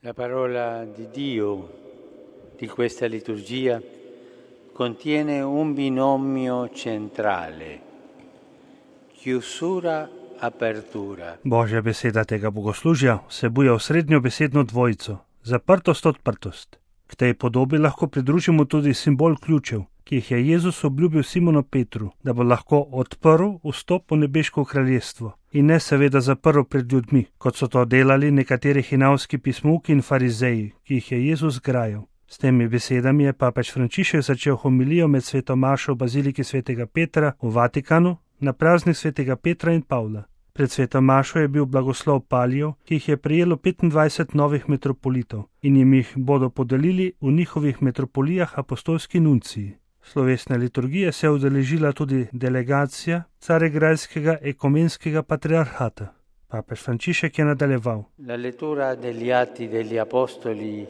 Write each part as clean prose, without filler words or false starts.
La parola di Dio di questa liturgia contiene un binomio centrale: chiusura, apertura. Božja beseda tega bogoslužja vsebuje osrednjo besedno dvojico, zaprtost, odprtost. K tej podobi lahko pridružimo tudi simbol ključev, ki jih je Jezus obljubil Simonu Petru, da bo lahko odprl vstop v nebeško kraljestvo in ne seveda zaprl pred ljudmi, kot so to delali nekateri hinavski pismovki in farizeji, ki jih je Jezus grajal. S temi besedami je papež Frančišek začel homilijo med sveto mašo v baziliki svetega Petra v Vatikanu na praznik svetega Petra in Pavla. Pred sveto mašo je bil blagoslov palijev, ki jih je prejelo 25 novih metropolitov in jim jih bodo podelili v njihovih metropolijah apostolski nunciji. Slovesne liturgije se je udeležila tudi delegacija Carigrajskega ekumenskega patriarhata. Papež Frančišek je nadaljeval. La lettura degli Atti degli Apostoli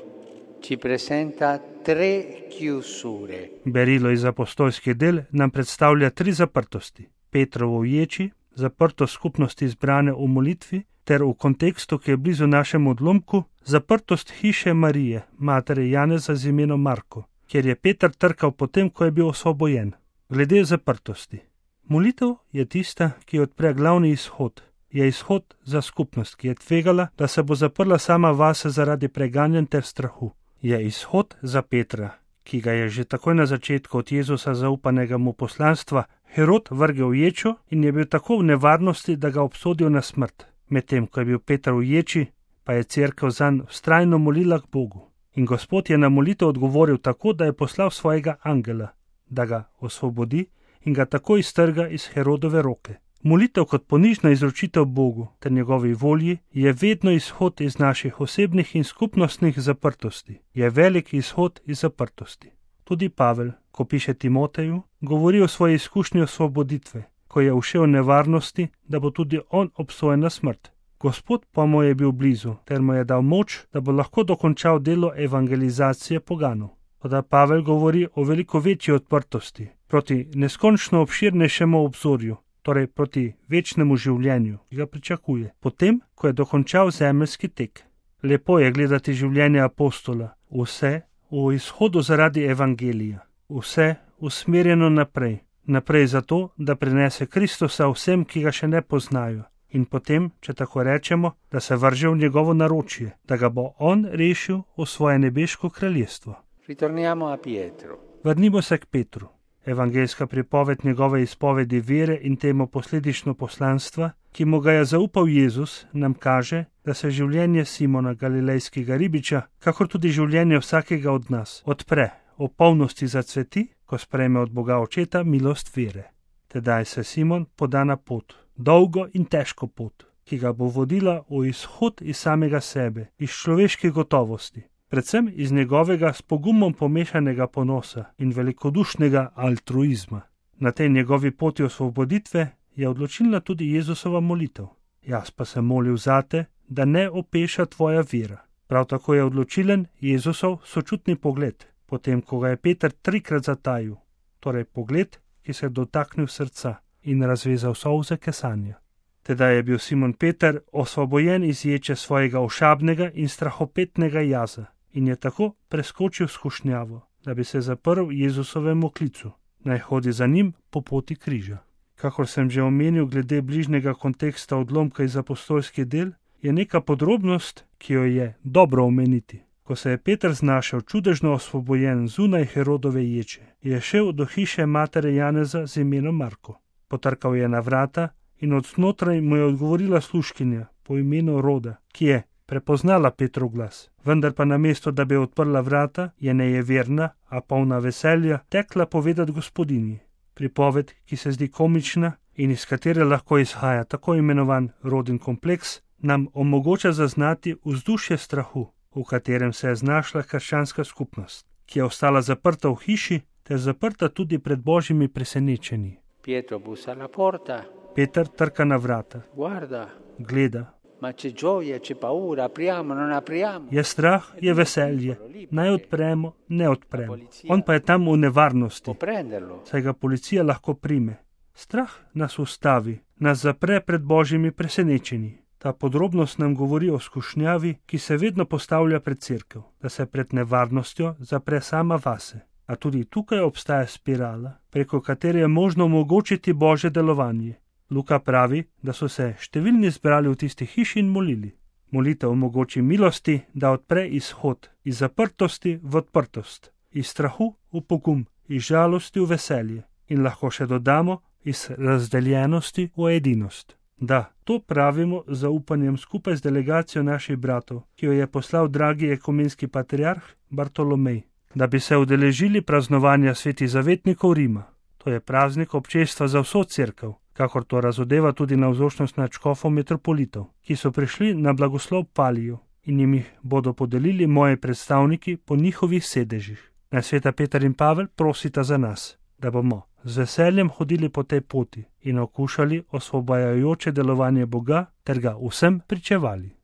ci presenta tre chiusure. Berilo iz apostolskih del nam predstavlja tri zaprtosti. Petrovo v ječi, zaprtost skupnosti zbrane v molitvi, ter v kontekstu, ki je blizu našemu odlomku, zaprtost hiše Marije, matere Janeza z imenom Marko, kjer je Peter trkal potem, ko je bil osvobojen. Glede zaprtosti. Molitev je tista, ki odpre glavni izhod. Je izhod za skupnost, ki je tvegala, da se bo zaprla sama vase zaradi preganjanj ter strahu. Je izhod za Petra, ki ga je že takoj na začetku od Jezusa zaupanega mu poslanstva Herod vrgel v ječo in je bil tako v nevarnosti, da ga obsodil na smrt. Medtem, ko je bil Peter v ječi, pa je cerkev zanj vztrajno molila k Bogu. In Gospod je na molitev odgovoril tako, da je poslal svojega angela, da ga osvobodi in ga tako iztrga iz Herodove roke. Molitev kot ponižna izročitev Bogu ter njegovi volji je vedno izhod iz naših osebnih in skupnostnih zaprtosti. Je velik izhod iz zaprtosti. Tudi Pavel, ko piše Timoteju, govori o svoji izkušnji osvoboditve, ko je ušel v nevarnosti, da bo tudi on obsojen na smrt. Gospod pa mu je bil blizu, ter mu je dal moč, da bo lahko dokončal delo evangelizacije poganov. Toda Pavel govori o veliko večji odprtosti, proti neskončno obširnejšemu obzorju, torej proti večnemu življenju, ki ga pričakuje, potem, ko je dokončal zemeljski tek. Lepo je gledati življenje apostola, vse v izhodu zaradi evangelija, vse usmerjeno naprej, naprej zato, da prinese Kristusa vsem, ki ga še ne poznajo, in potem, če tako rečemo, da se vrže v njegovo naročje, da ga bo on rešil v svoje nebeško kraljestvo. Ritorniamo a Pietro. Vrnimo se k Petru. Evangeljska pripoved njegove izpovedi vere in temu posledično poslanstva, ki mu ga je zaupal Jezus, nam kaže, da se življenje Simona Galilejskega ribiča, kakor tudi življenje vsakega od nas, odpre, v polnosti zacveti, ko sprejme od Boga Očeta milost vere. Tedaj se Simon poda na pot, dolgo in težko pot, ki ga bo vodila v izhod iz samega sebe, iz človeških gotovosti, predvsem iz njegovega s pogumom pomešanega ponosa in velikodušnega altruizma. Na tej njegovi poti osvoboditve je odločilna tudi Jezusova molitev. Jaz pa sem molil zate, da ne opeša tvoja vera. Prav tako je odločilen Jezusov sočutni pogled, potem ko ga je Peter 3-krat zatajil, torej pogled, ki se je dotaknil srca in razvezal solze kesanja. Tedaj je bil Simon Peter osvobojen iz ječe svojega ošabnega in strahopetnega jaza in je tako preskočil skušnjavo, da bi se zaprl Jezusovemu klicu, naj hodi za njim po poti križa. Kakor sem že omenil glede bližnjega konteksta odlomka iz apostolskih del, je neka podrobnost, ki jo je dobro omeniti. Ko se je Peter znašel čudežno osvobojen zunaj Herodove ječe, je šel do hiše matere Janeza z imenom Marko. Potrkal je na vrata in od znotraj mu je odgovorila služkinja po imenu Roda, ki je prepoznala Petrov glas, vendar pa namesto, da bi odprla vrata, je nejeverna, a polna veselja, tekla povedati gospodinji. Pripoved, ki se zdi komična in iz katere lahko izhaja tako imenovan Rodin kompleks, nam omogoča zaznati vzdušje strahu, v katerem se je znašla krščanska skupnost, ki je ostala zaprta v hiši ter zaprta tudi pred božjimi presenečenji. Pietro bussa alla porta. Peter trka na vrata. Guarda. Gleda. Ma c'è gioia, c'è paura, apriamo, non apriamo. Je strah, je veselje. Naj odpremo, ne odpremo. On pa je tam v nevarnosti, saj ga policija lahko prime. Strah nas ustavi, nas zapre pred božjimi presenečenji. Ta podrobnost nam govori o skušnjavi, ki se vedno postavlja pred cerkev, da se pred nevarnostjo zapre sama vase. A tudi tukaj obstaja spirala, preko katere je možno omogočiti Božje delovanje. Luka pravi, da so se številni zbrali v tisti hiši in molili. Molitev omogoči milosti, da odpre izhod iz zaprtosti v odprtost, iz strahu v pogum, iz žalosti v veselje in lahko še dodamo iz razdeljenosti v edinost. Da, to pravimo z zaupanjem skupaj z delegacijo naših bratov, ki jo je poslal dragi ekumenski patriarh Bartolomej, da bi se udeležili praznovanja svetih zavetnikov Rima. To je praznik občestva za vso cerkev, kakor to razodeva tudi navzočnost nadškofov metropolitov, ki so prišli na blagoslov Paliju in jim bodo podelili moji predstavniki po njihovih sedežih. Naj sveta Peter in Pavel prosita za nas, da bomo z veseljem hodili po tej poti in okušali osvobajajoče delovanje Boga ter ga vsem pričevali.